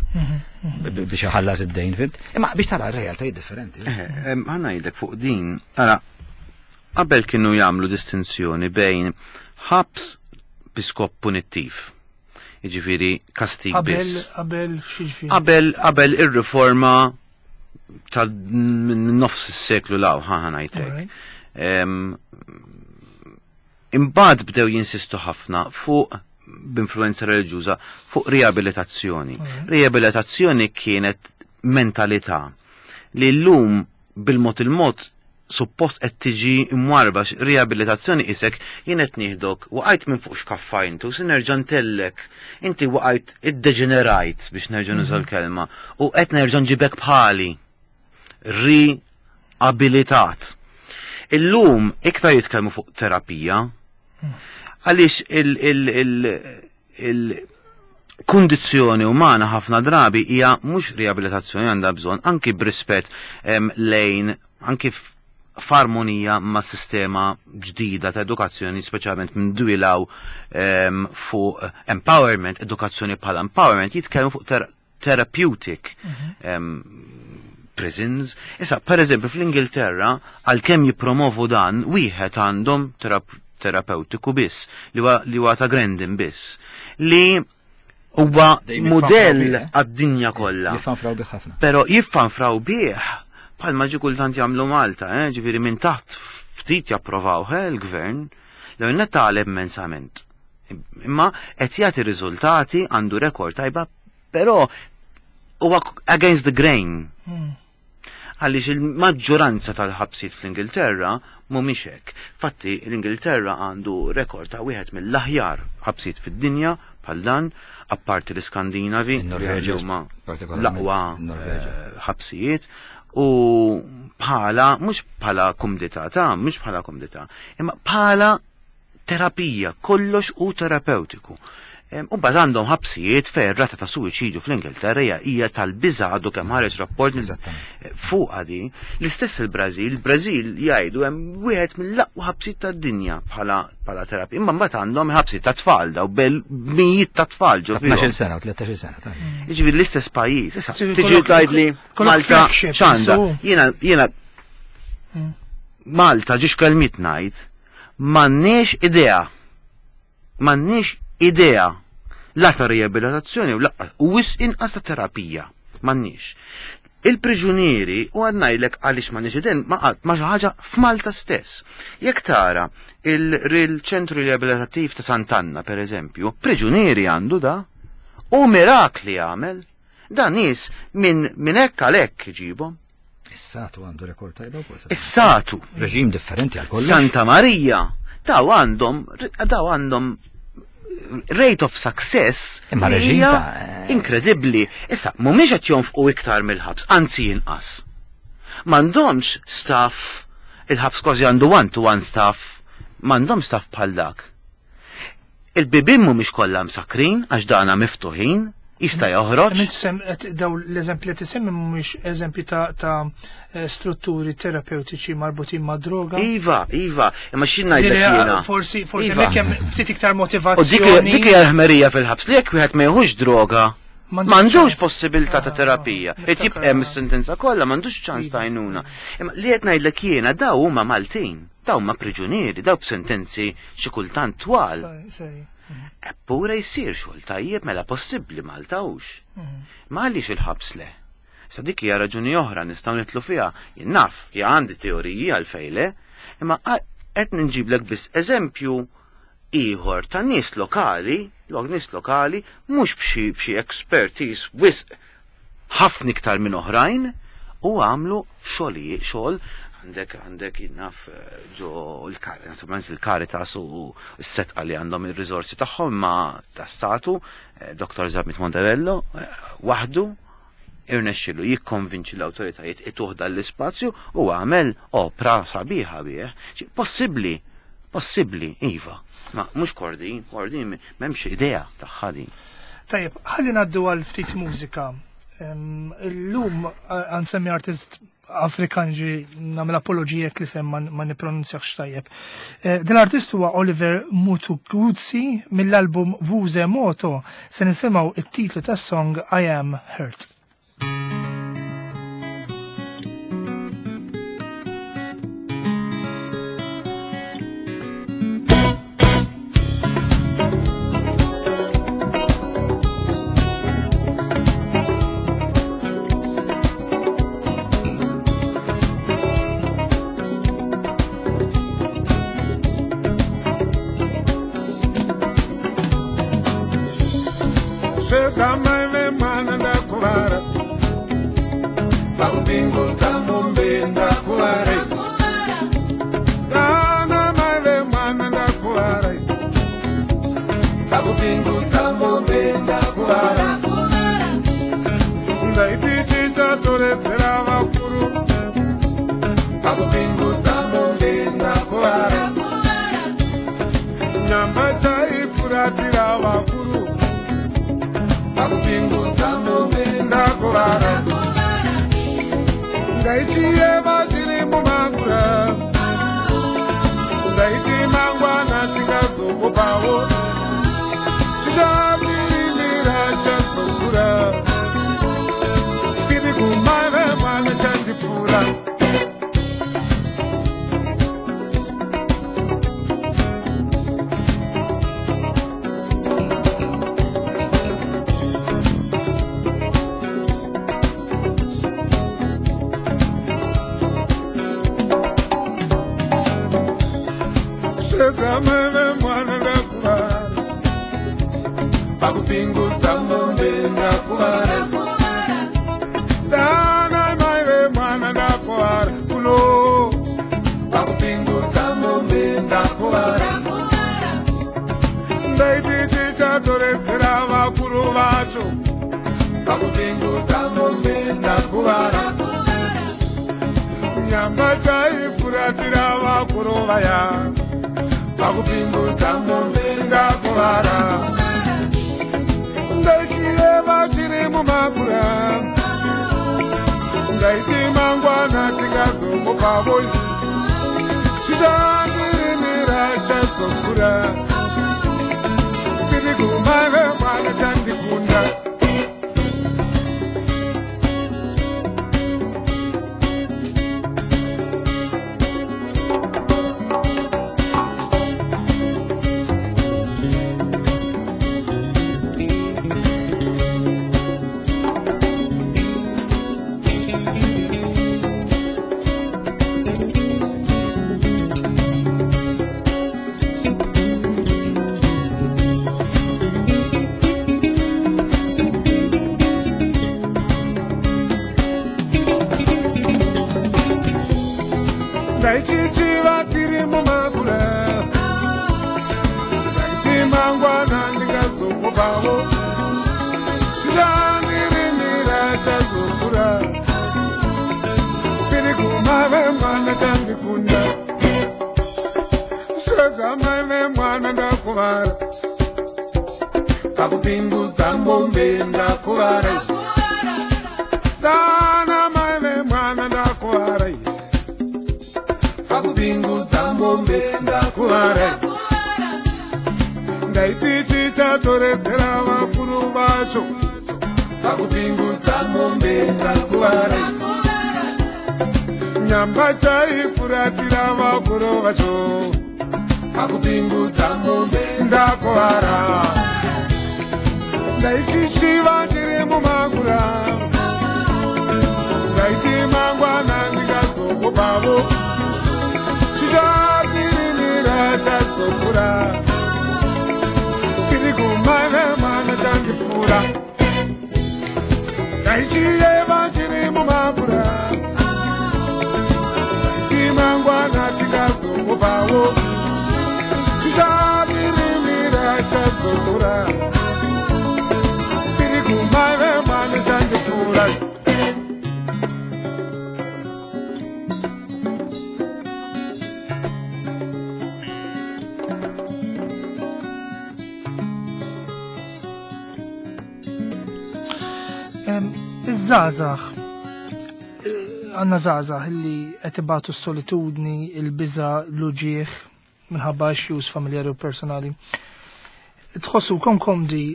biex iħallas id-dejn, fhimt? Imma biex tara r-realtà differenti. Ħa ngħidlek fuq din, ara, qabel kienu jagħmlu distinzjoni bejn ħabs bi skop punittiv. Jiġifieri kastig Qabel, biss. qabel x'jiġifieri? Qabel qabel ir-riforma tal minn nofs is-seklu 'l hawn, ħa ngħidlek. Alright. Em, Imbagħad bdew jinsistu ħafna fuq b'influenza reliġjuża fuq riabilitazzjoni. Riabilitazzjoni kienet mentalità li llum bil-mod il-mod suppost qed tiġi mwarba. Riabilitazzjoni isek jien qed nieħdok, waqajt minn fuq xkaffajntu, se nerġa' ntellek. Inti waqajt, iddeġenerajt, biex nerġa' nuża l-kelma, u qed nerġa' nġibek bħali. Riabilitat. Illum iktar jitkellmu fuq terapija għaliex il- il- il- il-kundizzjoni umana ħafna drabi hija mhux riabilitazzjoni għandha bżonn, anki b'rispett em, lejn anki f- f'armonija ma' sistema ġdida ta' edukazzjoni, speċjalment minn dwilaw em, fuq empowerment, edukazzjoni bħala empowerment, jitkellmu fuq ter therapeutic em, prisons. Issa, per eżempju, fl-Ingilterra, għalkemm jippromovu dan, wieħed għandhom terap terapeutiku biss, li huwa li huwa ta' Grendon biss, li huwa Dejjem modell jiffanfraw bih, eh? għad-dinja kollha. Jiffanfraw bih ħafna. Pero jiffanfraw bih, bħalma ġi kultant jagħmlu Malta, eh? Ġifieri minn taħt ftit japprovaw eh, il-gvern, l net tagħleb immensament. Imma qed jagħti riżultati, għandu rekord tajba, però huwa against the grain. Għaliex il-maġġoranza tal-ħabsiet fl-Ingilterra mhumiex hekk. Fatti l-Ingilterra għandu rekord ta' wieħed mill-aħjar ħabsiet fid-dinja bħal dan, apparti l-Iskandinavi, li Il-Norveġa, huma partikolarment, l-aqwa il-Norveġa. eh, ħabsijiet u bħala, mhux bħala kumdità ta' mhux bħala kumdità, imma bħala terapija, kollox u terapeutiku. Em, U mbagħad għandhom ħabsijiet fejn rata ta' suwiċidju fl-Ingilterra hija hija tal-biża', għadu kemm ħareġ rapport minn- Eżattament. fuq għadi. L-istess il-Brażil, il-Brażil jgħidu hemm wieħed mill-aqwa ħabsijiet tad-dinja bħala bħala terapija. Imma mbagħad għandhom ħabsijiet ta' tfal daw bel mijiet ta' tfal ġo fihom. tnax-il sena u tlettax-il sena. tajjeb. Jiġifieri l-istess pajjiż. Issa Ġifieri tiġi kollok- tgħidli kollok Malta flagship, x'għandha. so. Jiena jiena Malta ġiex kelmiet ngħid, m'għandniex idea. M'għandniex idea la ta' riabilitazzjoni u la u wisq inqas ta' terapija. M'għandniex. Il-priġunieri, u għad ngħidlek għaliex m'għandniex idea, ma qatt ma xi ħaġa f'Malta stess. Jekk tara il-ċentru riabilitattiv ta' Sant'Anna, per eżempju, priġunieri għandu da, u mirakli għamel. Da nies minn min hekk għal hekk iġibhom. Is-Satu għandu rekord tajba wkoll. Is-Satu, Reġim differenti għal kollox. Santa Maria, daw għandhom daw għandhom rate of success Imma li reġim hija ta' inkredibbli. Issa, mhumiex qed jonfqu iktar mill-ħabs, anzi inqas. M'għandhomx staff, il-ħabs kważi għandu one to one staff, m'għandhom staff bħal dak. Il-bibien mhumiex kollha msakrin għax dana miftuħin. Jista' joħroġ. Daw l-eżempji li tisemmi mhumiex eżempji ta' strutturi terapeutiċi marbutin ma' droga. Iva, iva, imma xi ngħidlek jiena. Forsi forsi hekk hemm ftit iktar motivazzjoni. U dik hija l-ħmerija fil-ħabs li jekk wieħed ma jieħux droga, m'għandux possibilità ta' terapija. Qed jibqa' hemm is-sentenza kollha m'għandux ċans ta' għajnuna. Imma li qed ngħidlek jiena daw huma Maltin, daw huma priġunieri, daw b'sentenzi xi kultant twal. Eppure jsir xogħol tajjeb mela possibbli Malta hux. Ma għaliex il-ħabs le? Sa dik hija raġuni oħra nistgħu nitlu fiha. Jien naf, hija għandi teoriji għalfejn le, imma qed nġiblek biss eżempju ieħor ta' nies lokali, lok nies lokali mhux b'xi b'xi expertise wisq ħafna iktar minn oħrajn u għamlu xogħol xogħol għandek għandek jinnaf ġo il-Caritas u s-setqa li għandhom il-rizorsi tagħhom ma tassatu Doktor Zammit Montebello waħdu irnexxilu jikkonvinċi l-awtoritajiet ituh dan l-ispazju u għamel opra sabiħa bih. Possibbli, possibbli, iva. Ma mhux Kordin, Kordin m'hemmx idea tagħha din. Tajjeb, ħalli ngħaddu għal ftit mużika. Illum għansemmi artist Afrikan ġi nagħmel apologija li sem ma nippronunzjax tajjeb. Din l-artist huwa Oliver Mtukudzi mill-album Vuze Moto. Se nisimgħu it-titlu tas-song I Am Hurt. Pakupingudza mombe ndakuvara. Dana mai vemwana ndakuvara. Pakupingudza mombe ndakuvara. Ndaiti tichatoredzera vakuru vacho. Pakupingudza mombe ndakuvara. Nyamba chaifuratira vakuru vacho. Pakupingudza mombe ndakuvara. Ndaitichiva ndiri mumagura. Ndaiti mangwana ndikazokupavo. Chichatirimira tazokura. Kiri kumai vemwana chandipfuura. Ndaichiyeva ndiri mumagura. Ndaiti mangwana tikazokupavo. Chichatirimira tazokura. Kiri kumai vemwana chandipfuura. Iż-żgħażagħ, għandna żgħażagħ li qed ibatu s-solitudni, il-biża', l-uġieħ minħabba issues familjari u personali. Tħossu kom komdi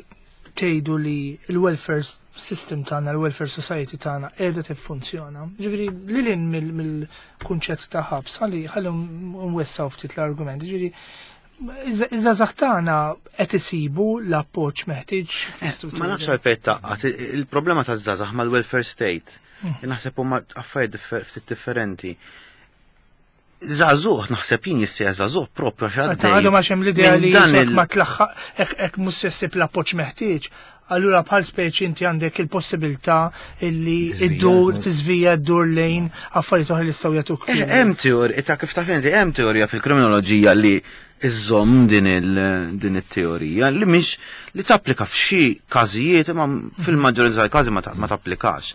tgħidu li l-welfare system tagħna, l-welfare society tagħna qiegħda tiffunzjona. Ġifieri lil hinn mill-kunċett ta' ħabs, ħalli ħalli nwessaw ftit l-argument. Ġifieri iż-żgħażagħ tagħna qed isibu l-appoġġ meħtieġ fl-istruttura. Ma nafx għalfejn taqqat, il-problema taż-żgħażagħ mal-welfare state. Naħseb huma affarijiet ftit differenti. Żagħżugħ naħseb jien jissejjaħ żagħżugħ propju għax għaddej. Għadu ma xem l-idea li ma tlaħħaq hekk mhux se ssib l-appoġġ meħtieġ. Allura bħal speċi inti għandek il-possibilità illi iddur tiżvija ddur lejn affarijiet oħra li jistgħu jagħtuk. Hemm teorija, ta' kif taf inti hemm teorija fil-kriminoloġija li iżżomm din din it-teorija li mhix li tapplika f'xi każijiet imma fil-maġġorità tal-każi ma tapplikax.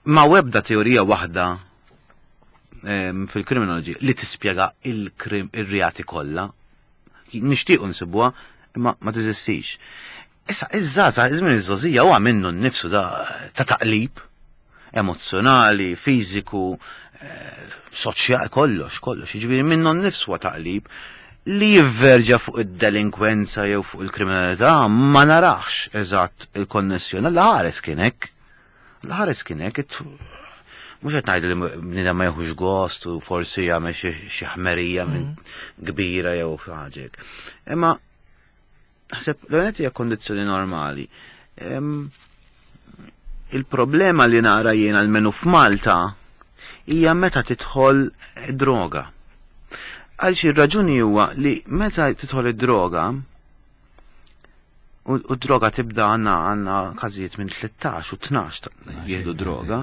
Ma webda teorija waħda fil-kriminoloġija li tispjega il-reati kollha. Nixtiequ nsibuha imma ma teżistix. Issa iż-żgħażagħ iż-żmien iż-żgħożija huwa minnu nnifsu da ta' taqlib emozzjonali, fiżiku, soċjali, kollox, kollox. Jiġifieri minnu nnifsu huwa taqlib li jivverġa fuq id-delinkwenza jew fuq il-kriminalità ma narax eżatt il-konnessjoni. L-ħares kien hekk. L-ħares kien hekk. Mhux qed ngħidu li bniedem ma jieħux gost u forsi jagħmel xi ħmerija minn kbira jew xi ħaġa hekk. Imma naħseb l-għonet hija kondizzjoni normali. Il-problema li nara jien almenu f'Malta hija meta tidħol droga. Għal xi raġuni huwa li meta tidħol id-droga u d-droga tibda għandna għandna każijiet minn tlettax u tnax jieħdu droga.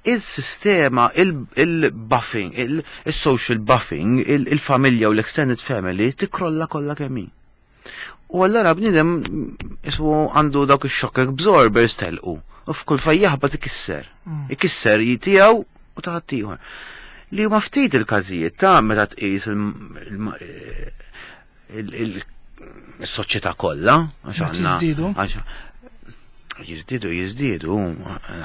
Il-sistema, il-buffing, il-social buffing, il-familja u l-extended family tikrolla kollha kemm hi. U allura bniedem ismu għandu dawk ix-shock absorbers telqu. U f'kull fejn jaħbat ikisser. Ikisser tiegħu u ta' ħaddieħor. Li huma ftit il-każijiet ta' meta tqis il-soċjetà kollha għax għandna jiżdiedu jiżdiedu,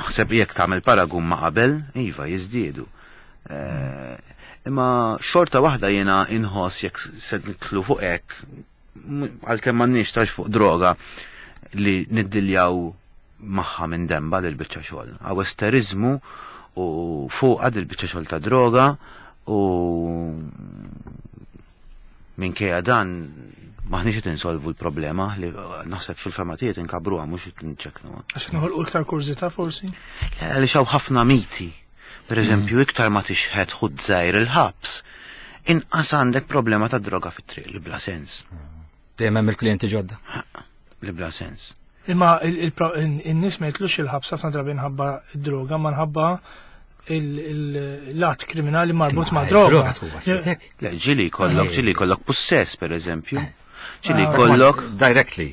naħseb jekk tagħmel paragun ma' qabel, iva jiżdiedu. Imma xorta waħda jiena inħoss jekk se nitlu fuq hekk, għalkemm m'għandniex tax fuq droga li niddiljaw magħha minn demba lil biċċa xogħol. Għaw esterizmu u fuq għad il-biċċa xogħol ta' droga u minkejja dan maħniex qed insolvu l-problema li naħseb fil-fema tiegħi inkabruha mhux qed nċekknuha. Għax noħolqu iktar kurżità forsi? Għaliex hawn ħafna miti. Per eżempju, iktar ma tixħet ħud żgħir il-ħabs, inqas għandek problema ta' droga fit-triq li bla sens. Dejjem hemm il-klijenti ġodda. Li bla sens. Imma in-nies ma jitlux il-ħabs ħafna drabi nħabba d-droga, ma nħabba l-att kriminali marbut ma' droga. Le, ġili jkollok, ġili jkollok possess, per eżempju. Ġili jkollok directly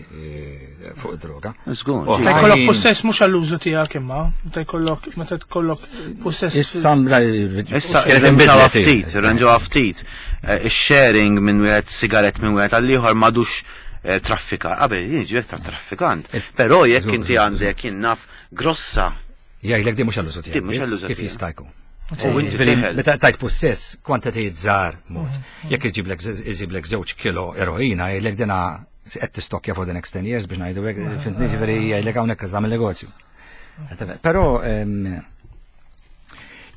fuq id-droga. Żgur. Ta' jkollok possess mhux għall-użu tiegħek imma, ta' jkollok meta tkollok possess. Issa issa irranġawha ftit, irranġawha ftit. Ix-sharing minn wieħed sigaret minn wieħed għall-ieħor m'għadux eh, traffika, qabel jiġi ta' traffikant. Però jekk inti għandek jien naf grossa. Jgħidlek di mhux għall-użu Di mhux tiegħek. għall-użu Kif tiegħek. jista' jkun? U inti Ġifieri, teħel. meta tajt possess, kwantitajiet żgħar mod. Jekk iġiblek iġiblek żewġ kilo eroina, jgħidlek dina qed tistokkja for the next ten years biex ngħidu hekk, fhimtni, ġifieri jgħidlek hawnhekk tagħmel negozju. Però em,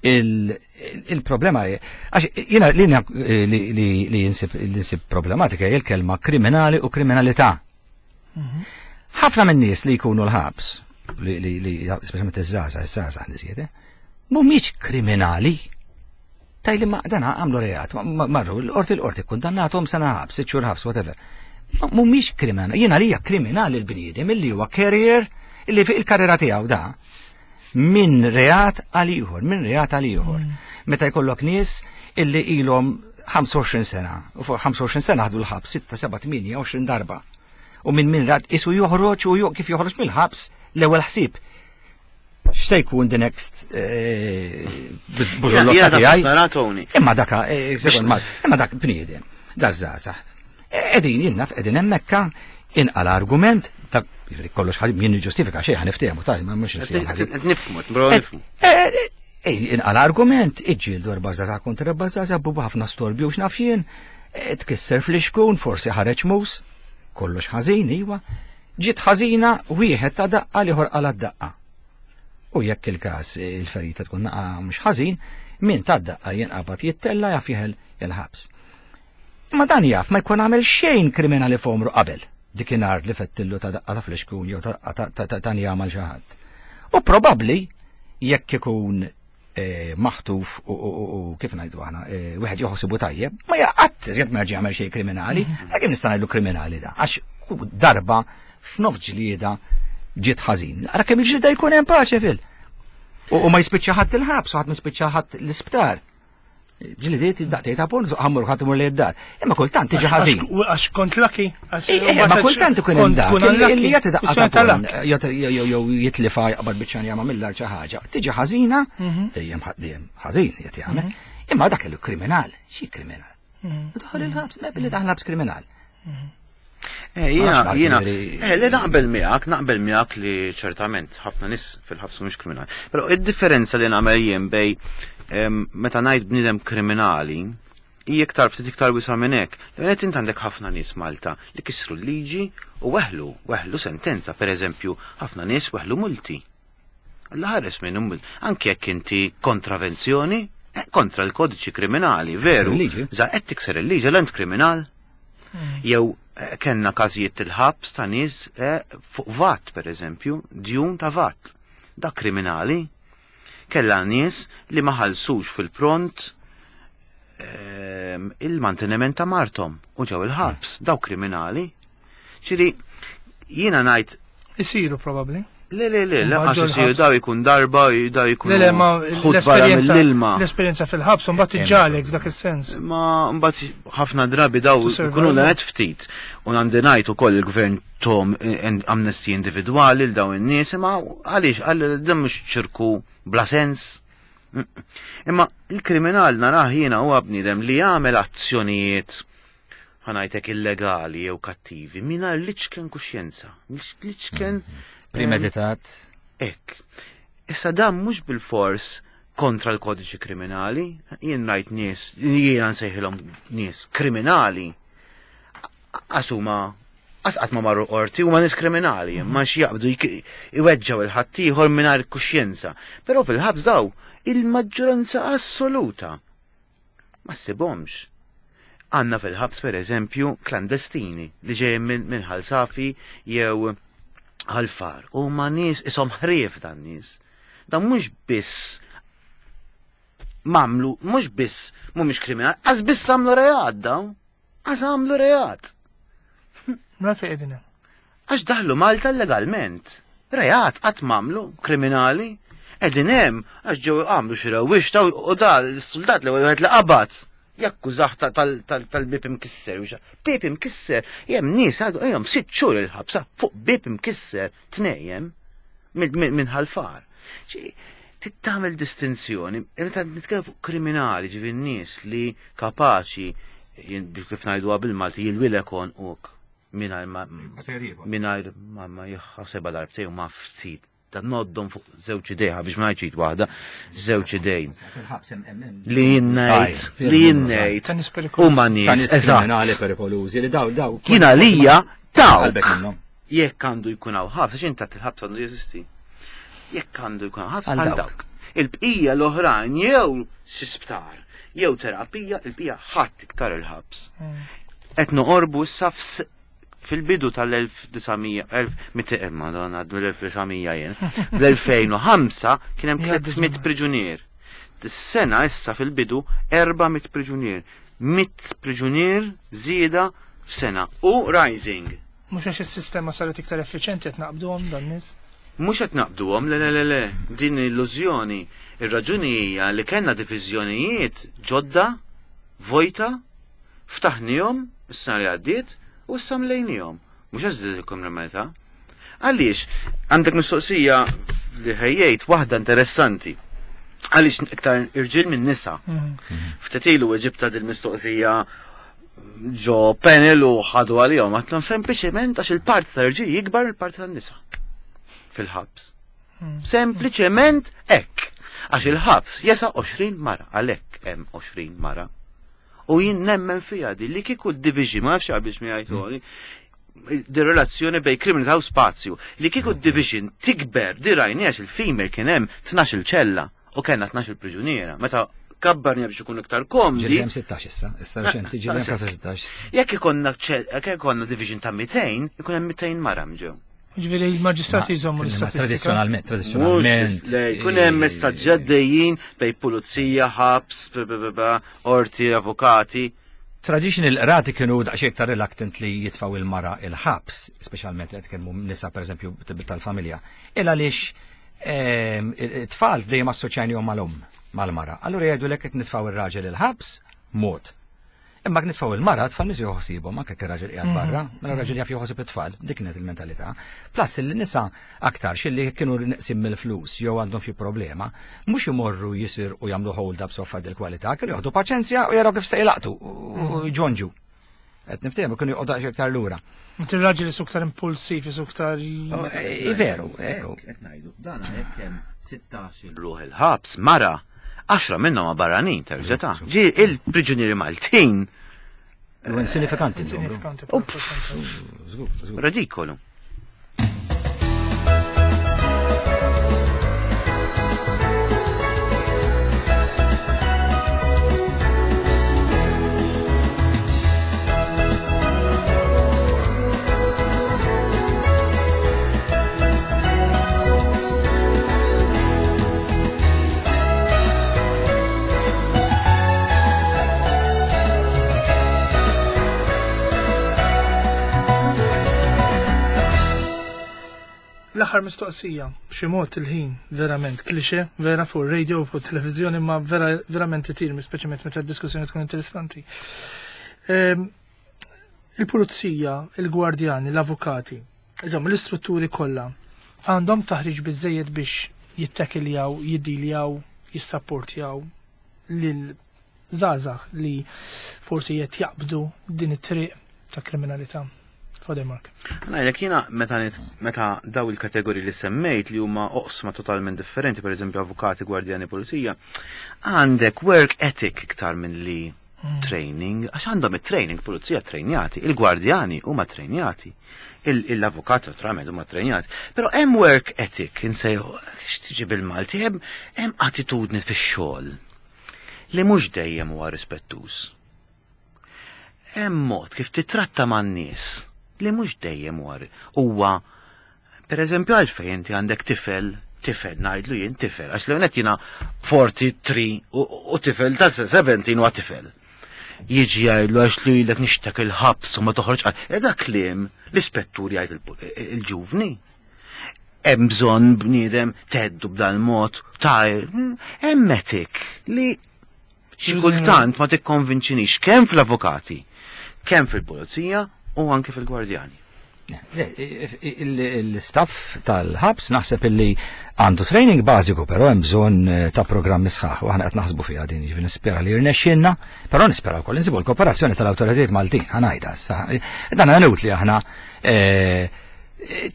il- il-problema hi, għax jiena li li li li jinsib li jinsib problematika hija l-kelma kriminali u kriminalità. Ħafna minn nies li jkunu l-ħabs, li li li speċjalment iż-żgħażagħ, iż-żgħażagħ niżjed, eh, mhumiex kriminali. Tajli ma dana għamlu reat, ma- ma- marru l-qorti l-qorti kundannatom sena ħabs, sitt xhur ħabs, whatever. Ma mhumiex kriminali. Jiena lija kriminali l-bniedem illi huwa carrier illi fi il-karriera tiegħu da minn reat għal ieħor, minn reat għal ieħor. Meta jkollok nies illi ilhom ħamsa u għoxrin sena, u fuq ħamsa u għoxrin sena ħadu l-ħabs sitta, seba', tmienja, għoxrin darba. U minn minn rat isu joħroġ u jo- kif joħroġ mill-ħabs l-ewwel ħsieb. X'se jkun the next eh, Jiena bużullotta tiegħi? nara Tony. Imma daka, eh, sekond mal, imma dak bniedem, da żgħażagħ. Qegħdin jinnaf, qegħdin hemmhekka, inqal argument, ta' jiġifieri kollox ħażin jien niġġustifika xejn ħa niftehmu taj, ma mhux niftehmu ħażin. Qed nifhmu, bro nifhmu. Ej, inqal argument, iġġieldu erba' żgħażagħ kontra erba' żgħażagħ, bubu ħafna storbju u x'naf jien, eh, tkisser fl-ixkun, forsi ħareġ mus, kollox ħażin, iwa. Ġiet ħażina wieħed ta' daqqa l-ieħor qala daqqa. U jekk il-każ il-ferita tkun naqa mhux ħażin, min ta' daqqa jinqabad jittella jaf jeħel il-ħabs. Ma dan jaf ma jkun għamel xejn kriminali f'għomru qabel. Dikinhar li fettillu ta' daqqa ta' flixkun jew ta' daqqa ta' ta' ta' jagħmel xi ħadd. U probabbli jekk ikun eh, maħtuf u, u, u, u kif ngħidu aħna, eh, wieħed joħsibu tajjeb, ma jaqgħad iżjed ma jerġa' jagħmel xejn kriminali, kemm nista' ngħidlu kriminali da, għax hu darba f'nof ġlieda ġiet ħażin. Ara kemm il-ġlieda jkun hemm paċe fil. U, u ma jispiċċa ħadd il-ħabs, u ħadd ma jispiċċa ħadd l-isptar. Ġlidiet daqtej ta' pon, ħammur ħadd imur li d-dar. Imma kultant tiġi ħażin. Għax kont lucky. għax- Eh, eh, ma kultant ikun hemm dak Kun illi jagħti daqqa ta' ta' pon, jagħti- jew jew jitlifa jaqbad biċċa jama mill-ar xi ħaġa. Tiġi ħażina, dejjem ħa- dejjem ħażin qed jagħmel. Imma dak il kriminal, xi kriminal? U daħal il-ħabs, ma billi daħal ħabs kriminal. Eh, jiena, Ma nafx, jiena, ġifieri- eh, li naqbel miegħek, naqbel miegħek li ċertament ħafna nies fil-ħabs mhux kriminali. Però id-differenza li nagħmel jien bej em, meta ngħid bniedem kriminali hija iktar ftit iktar wisa minn hekk. L-għenet int għandek ħafna nies Malta li kisru l-liġi u weħlu, weħlu sentenza, per eżempju, ħafna nies weħlu multi. Alla ħares minn mult. Anke jekk inti kontravenzjoni, eh, kontra l-kodiċi kriminali, veru. il-liġi. Za qed tikser il-liġi, l-ent kriminal. Jew eh, kellna każijiet il-ħabs ta' nies eh, fuq VAT, per eżempju, djun ta' VAT. Da kriminali. Kella nies li ma ħallsux fil-pront ehm, il-manteniment ta' martom u ġew il-ħabs, daw kriminali. Ċiri, jiena ngħid Isiru probabli. Le, le, le, le, Mbagħad għax ġol isiru ħabs. daw ikun darba, daw ikun Le, le, ma ħut barra l-esperienza mill-ilma. l-esperienza fil-ħabs, un bat iġġalek f'dak il-sens. Ma mbagħad ħafna drabi daw To survive. ikunu l ftit. U għandi ngħid ukoll il-gvern tom eh, amnesty individwali l daw in-nies, imma għaliex għal dan mhux ċirku bla sens. Mm. Imma il-kriminal narah jiena huwa bniedem li jagħmel azzjonijiet ħa ngħidlek illegali jew kattivi mingħajr l-iċken kuxjenza, l-iċken Premeditat. Ek. Issa dan mhux bil-fors kontra l-kodiċi kriminali, jien rajt nies, jiena nsejħilhom nies kriminali. Għax huma għas qatt ma marru qorti huma nies kriminali, ma xi jaqbdu jk- iweġġaw il-ħaddieħor mingħajr kuxjenza. Però fil-ħabs daw il-maġġoranza assoluta ma ssibhomx. Għanna fil-ħabs per eżempju klandestini li ġejjin minn minn Ħal Safi jew Ħal Far. U ma nies isom ħrief dan nies. Dan mhux biss mamlu, mhux biss mhumiex kriminali, għax biss għamlu reat dawn. Għax għamlu reat. Mela fejn qegħdin hemm. Għax daħlu Malta legalment. Reat qatt mamlu kriminali. Qegħdin hemm għax ġew għamlu xi rewwixta u da l-soldat li wieħed li qabad. Jakkużah tal-bib imkisser. u xa- Bib imkisser, jem nies għadu jem sitt xhur il-ħabsa fuq bib imkisser tnejjem minn Ħal Far. Tittamel distinzjoni, meta nitkellem fuq kriminali, ġifieri nies li kapaċi, jien kif ngħiduha bil-Malti, jilwilek uk. mingħajr ma mingħajr ma ma jħasebha darbtejn u ma ftit ta' noddhom fuq żewġ idejha biex ma ngħidx waħda, żewġ idejn. Fil-ħabs hemm hemm Li jien ngħid, li jien ngħid Ta' nies perikolużi. huma Ta' nies, nies kriminali eżatt. perikolużi li daw daw. Jien għalija dawk. Qalbek minnhom. Jekk għandu jkun hawn ħabs, għax inta il-ħabs għandu jeżisti. Jekk għandu jkun hawn ħabs Għal għal dawk. dawk. Il-bqija l-oħrajn jew xi sptar, jew terapija, il-bqija ħadd iktar il-ħabs. Qed noqorbu issa fs- fil-bidu tal-elf disa' mija, madonna, l-elf disa' mija jien, l-elfejn u ħamsa kien hemm Jgħaddi tliet mitt żmien. priġunier. Dis-sena issa fil-bidu erba' mitt priġunier. Mitt priġunier żieda f'sena u rising. Mhux għax is-sistema saret iktar effiċenti qed naqbduhom dan nies. Mhux qed naqbduhom, le le le le, din illużjoni. Ir-raġuni hija li kellna diviżjonijiet ġodda, vojta, ftaħnihom is-sena li għaddiet u issa mlejnihom. Mhux għax żdied il-kriminalità. Għaliex għandek mistoqsija li ħejjejt waħda interessanti. Għaliex iktar irġiel minn nisa? Ftit ilu ġibta dil-mistoqsija ġo panel u ħadu għalihom, għedtlhom sempliċement għax il-parti ta' irġiel jikbar il-parti tan-nisa fil-ħabs. Sempliċement hekk. Għax il-ħabs jesa għoxrin mara, għalhekk hemm għoxrin mara. U jien nemmen fija di li kieku d-division, ma nafx biex mi għajtuni, di relazzjoni bej kriminalità u spazju, li kieku d-division tikber, di rajni għax il-female kien hemm tnax-il ċella u kellna tnax-il priġuniera. Meta kabbarni biex ikun iktar komdi. Ġieli hemm sittax issa, issa reċenti ġieli hemm kważi sittax. Jekk ikonna ċe- jekk ikonna division ta' mitejn, ikun hemm mitejn mara mġew. Ġifieri il-maġistrati jżommu l-istatistika. Tradizzjonalment, tradizzjonalment. Mhux le, jkun hemm messaġġi għaddejjin bej pulizija, ħabs, b- b- b- b- orti, avukati. Traditional qrati kienu daqsxejn iktar reluctant li jitfaw il-mara il-ħabs, speċjalment li qed tkellmu nisa pereżempju tal-familja. Il għaliex ehm, it-tfal dejjem assoċjajnihom mal-omm, mal-mara. Allura jgħidu lek qed nitfaw ir-raġel il-ħabs, mod. Imma nitfaw il-mara, tfal nies joħsibhom anke jekk ir-raġel qiegħed barra, mela r-raġel jaf joħsib it-tfal, dik kienet il-mentalità. Plus il-nisa aktar xilli kienu neqsim mill-flus jew għandhom xi problema, mhux imorru jisir u jagħmlu hold up soffa del kwalità, kienu joħdu paċenzja u jaraw kif se jlaqtu u jġonġu. Qed niftehmu kienu joqogħdu aktar lura. Inti r-raġel jisu iktar impulsiv, jisu iktar. I veru, ekku. Qed ngħidu, dan hekk hemm sittax ruħ il-ħabs mara, għaxra minnhom ma barranin terġa' ta' Ġi il-priġunieri Maltin U insinifikanti n-numru. Insignifikanti. Żgur, żgur. Ridikolu. L-aħħar mistoqsija, b'xi mod il-ħin, verament, klixe, vera fuq radio u fuq televizjoni, ma vera, verament itir, speċjalment meta d-diskussjoni tkun interessanti. Ehm, Il-pulizija, il-gwardjani, l-avukati, insomma, l-istrutturi kollha għandhom taħriġ biżejjed biex jittekiljaw, jiddiljaw, jissapportjaw lil żgħażagħ li forsi qed jaqbdu din it-triq ta' kriminalità. Father Mark. Ngħidlek jiena meta nit- meta daw il-kategoriji li semmejt li huma oqsma totalment differenti, per eżempju avukati, gwardjani, pulizija, għandek work ethic iktar minn li training, għax għandhom it-training, pulizija trejnjati, il-gwardjani huma trejnjati, il-avukat naturalment huma trejnjati, però hemm work ethic, insejħu, x'tiġi bil-Malti, hemm hemm attitudni fix-xogħol li mhux dejjem huwa rispettuż. Hemm mod kif titratta man-nies li mhux dejjem huwa huwa per eżempju għalfejn inti għandek tifel, tifel ngħidlu jien tifel, għax l jiena tlieta u erbgħin u u tifel ta' sbatax huwa tifel. Jiġi jgħidlu għax li jilek nixtek il-ħabs u ma toħroġ għal. E dak kliem l-ispettur jgħid il- il-ġuvni. Hemm bżonn bniedem teddu b'dan mod ta' hemm etik li xi kultant ma tikkonvinċinix kemm fl-avukati, kemm fil-pulizija u anke fil-gwardjani. L-istaff tal-ħabs naħseb illi għandu training bażiku, però hemm bżonn eh, ta' programmi sħaħ u aħna qed naħsbu fiha din, jiġifieri nispera li jirnexxielna, però nispera wkoll insibu l-kooperazzjoni tal-awtoritajiet Maltin, ħa ngħidha issa. Dan inutli aħna eh,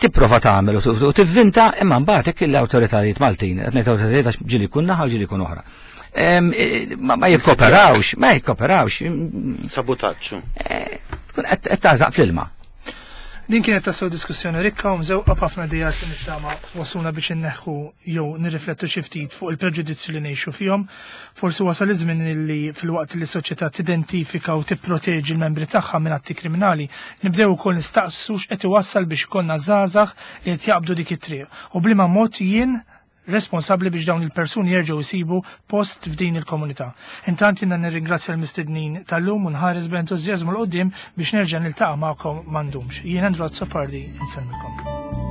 tipprova tagħmel u tivvinta, imma mbagħad hekk l-awtoritajiet Maltin, qed ngħid awtoritajiet għax ġieli jkun naħa u ġieli jkun oħra. Eh, ma jikkoperawx, ma jikkoperawx. Sabutaġġu. Tkun qed tagħżaq fl-ilma. Din kienet tassew diskussjoni rikka u mżewqa b'ħafna ideat li nittama wasluna biex inneħħu jew nirriflettu xi ftit fuq il-preġudizzju li ngħixu fihom. Forsi wasal iż-żmien li filwaqt li s-soċjetà tidentifika u tipproteġi l-membri tagħha minn atti kriminali, nibdew ukoll nistaqsu x'qed iwassal biex ikollna żgħażagħ li qed jaqbdu dik it-triq. U b'liema mod jien responsabbli biex dawn il-persuni jerġgħu jsibu post f'din il-komunità. Intant jiena nirringrazzja l-mistednin tal-lum u nħares b'entużjażmu 'l quddiem biex nerġa' niltaqa' magħkom m'għandhomx. Jien Andrew Azzopardi, insellmilkom.